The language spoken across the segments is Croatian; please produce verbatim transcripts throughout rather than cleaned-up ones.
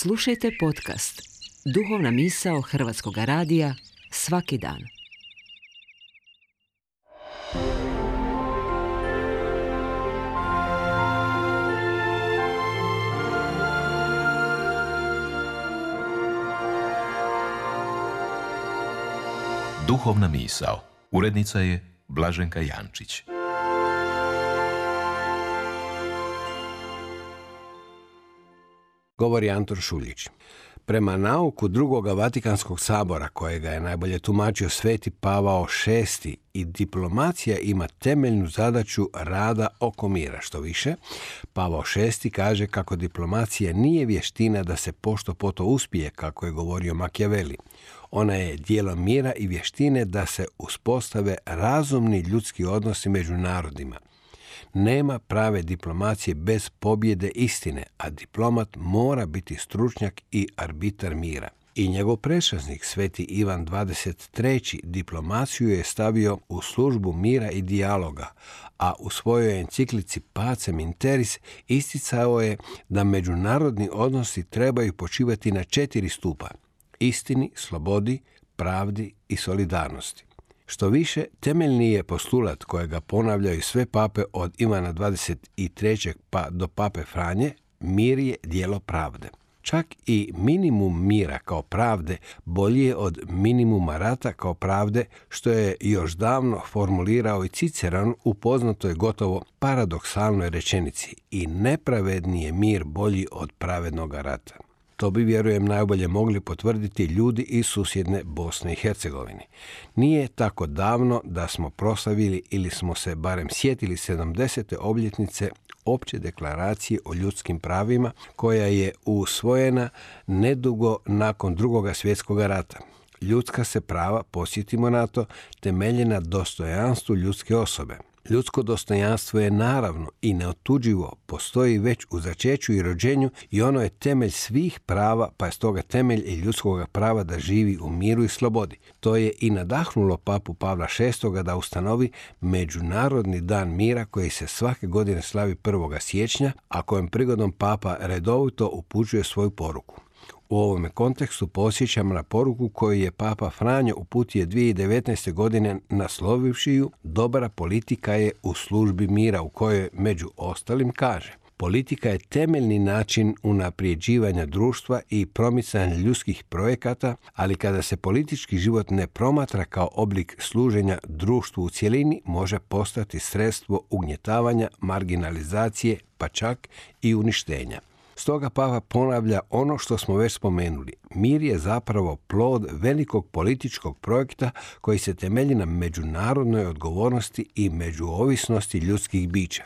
Slušajte podcast Duhovna misao Hrvatskog radija svaki dan. Duhovna misao. Urednica je Blaženka Jančić. Govori Anton Šuljić. Prema nauku drugoga Vatikanskog sabora, kojega je najbolje tumačio Sveti Pavao šesti, i diplomacija ima temeljnu zadaću rada oko mira. Što više, Pavao šesti kaže kako diplomacija nije vještina da se pošto poto uspije, kako je govorio Machiavelli. Ona je djelo mira i vještine da se uspostave razumni ljudski odnosi među narodima. Nema prave diplomacije bez pobjede istine, a diplomat mora biti stručnjak i arbitar mira. I njegov prešaznik, Sveti Ivan dvadeset treći, diplomaciju je stavio u službu mira i dijaloga, a u svojoj enciklici Pacem in Terris isticao je da međunarodni odnosi trebaju počivati na četiri stupa: istini, slobodi, pravdi i solidarnosti. Što više, temeljni je postulat kojega ponavljaju sve pape od Ivana dvadeset trećeg pa do pape Franje: mir je djelo pravde. Čak i minimum mira kao pravde bolji je od minimuma rata kao pravde, što je još davno formulirao i Ciceron u poznatoj gotovo paradoksalnoj rečenici: i nepravedni je mir bolji od pravednoga rata. To bi, vjerujem, najbolje mogli potvrditi ljudi iz susjedne Bosne i Hercegovine. Nije tako davno da smo proslavili ili smo se barem sjetili sedamdesete obljetnice Opće deklaracije o ljudskim pravima, koja je usvojena nedugo nakon Drugoga svjetskog rata. Ljudska se prava, posjetimo na to, temelje na dostojanstvu ljudske osobe. Ljudsko dostojanstvo je naravno i neotuđivo, postoji već u začeću i rođenju i ono je temelj svih prava, pa je stoga temelj i ljudskog prava da živi u miru i slobodi. To je i nadahnulo papu Pavla šestog da ustanovi Međunarodni dan mira koji se svake godine slavi prvog siječnja, a kojem prigodom papa redovito upućuje svoju poruku. U ovome kontekstu podsjećam na poruku koju je papa Franjo uputio dvije tisuće devetnaeste. godine naslovivši ju "Dobra politika je u službi mira", u kojoj među ostalim kaže: politika je temeljni način unaprijeđivanja društva i promicanja ljudskih projekata, ali kada se politički život ne promatra kao oblik služenja društvu u cjelini, može postati sredstvo ugnjetavanja, marginalizacije, pa čak i uništenja. Stoga papa ponavlja ono što smo već spomenuli. Mir je zapravo plod velikog političkog projekta koji se temelji na međunarodnoj odgovornosti i međuovisnosti ljudskih bića.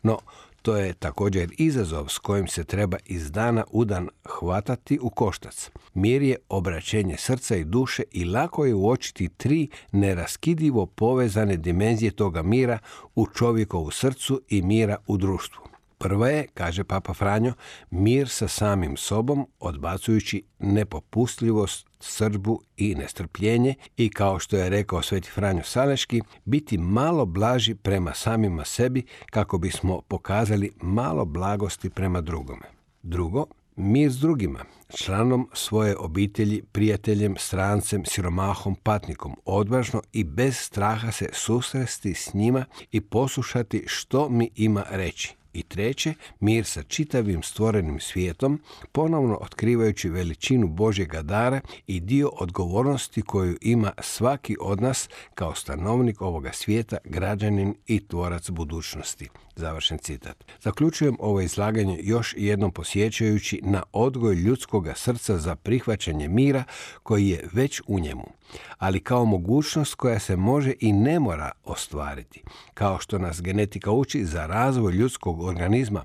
No, to je također izazov s kojim se treba iz dana u dan hvatati u koštac. Mir je obraćenje srca i duše i lako je uočiti tri neraskidivo povezane dimenzije toga mira u čovjekovu srcu i mira u društvu. Prva je, kaže papa Franjo, mir sa samim sobom, odbacujući nepopustljivost, srdbu i nestrpljenje, i kao što je rekao Sveti Franjo Saleški, biti malo blaži prema samima sebi kako bismo pokazali malo blagosti prema drugome. Drugo, mir s drugima, članom svoje obitelji, prijateljem, strancem, siromahom, patnikom, odvažno i bez straha se susresti s njima i poslušati što mi ima reći. I treće, mir sa čitavim stvorenim svijetom, ponovno otkrivajući veličinu Božjega dara i dio odgovornosti koju ima svaki od nas kao stanovnik ovoga svijeta, građanin i tvorac budućnosti. Završen citat. Zaključujem ovo izlaganje još jednom posjećajući na odgoj ljudskoga srca za prihvaćanje mira koji je već u njemu, ali kao mogućnost koja se može i ne mora ostvariti. Kao što nas genetika uči, za razvoj ljudskog organizma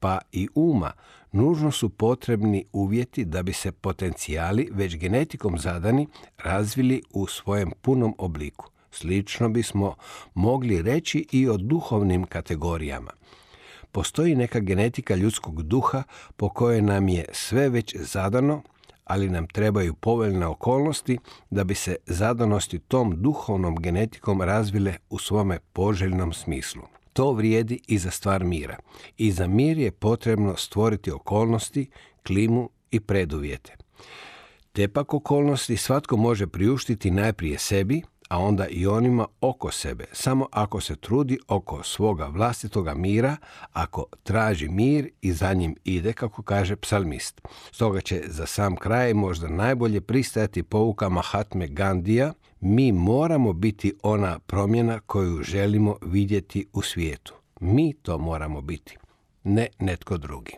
pa i uma nužno su potrebni uvjeti da bi se potencijali već genetikom zadani razvili u svojem punom obliku. Slično bismo mogli reći i o duhovnim kategorijama. Postoji neka genetika ljudskog duha po kojoj nam je sve već zadano, ali nam trebaju povoljne okolnosti da bi se zadanosti tom duhovnom genetikom razvile u svome poželjnom smislu. To vrijedi i za stvar mira. I za mir je potrebno stvoriti okolnosti, klimu i preduvjete. Te pak okolnosti svatko može priuštiti najprije sebi, a onda i onima oko sebe, samo ako se trudi oko svoga vlastitoga mira, ako traži mir i za njim ide, kako kaže psalmist. Stoga će za sam kraj možda najbolje pristajati pouka Mahatme Gandija: mi moramo biti ona promjena koju želimo vidjeti u svijetu. Mi to moramo biti, ne netko drugi.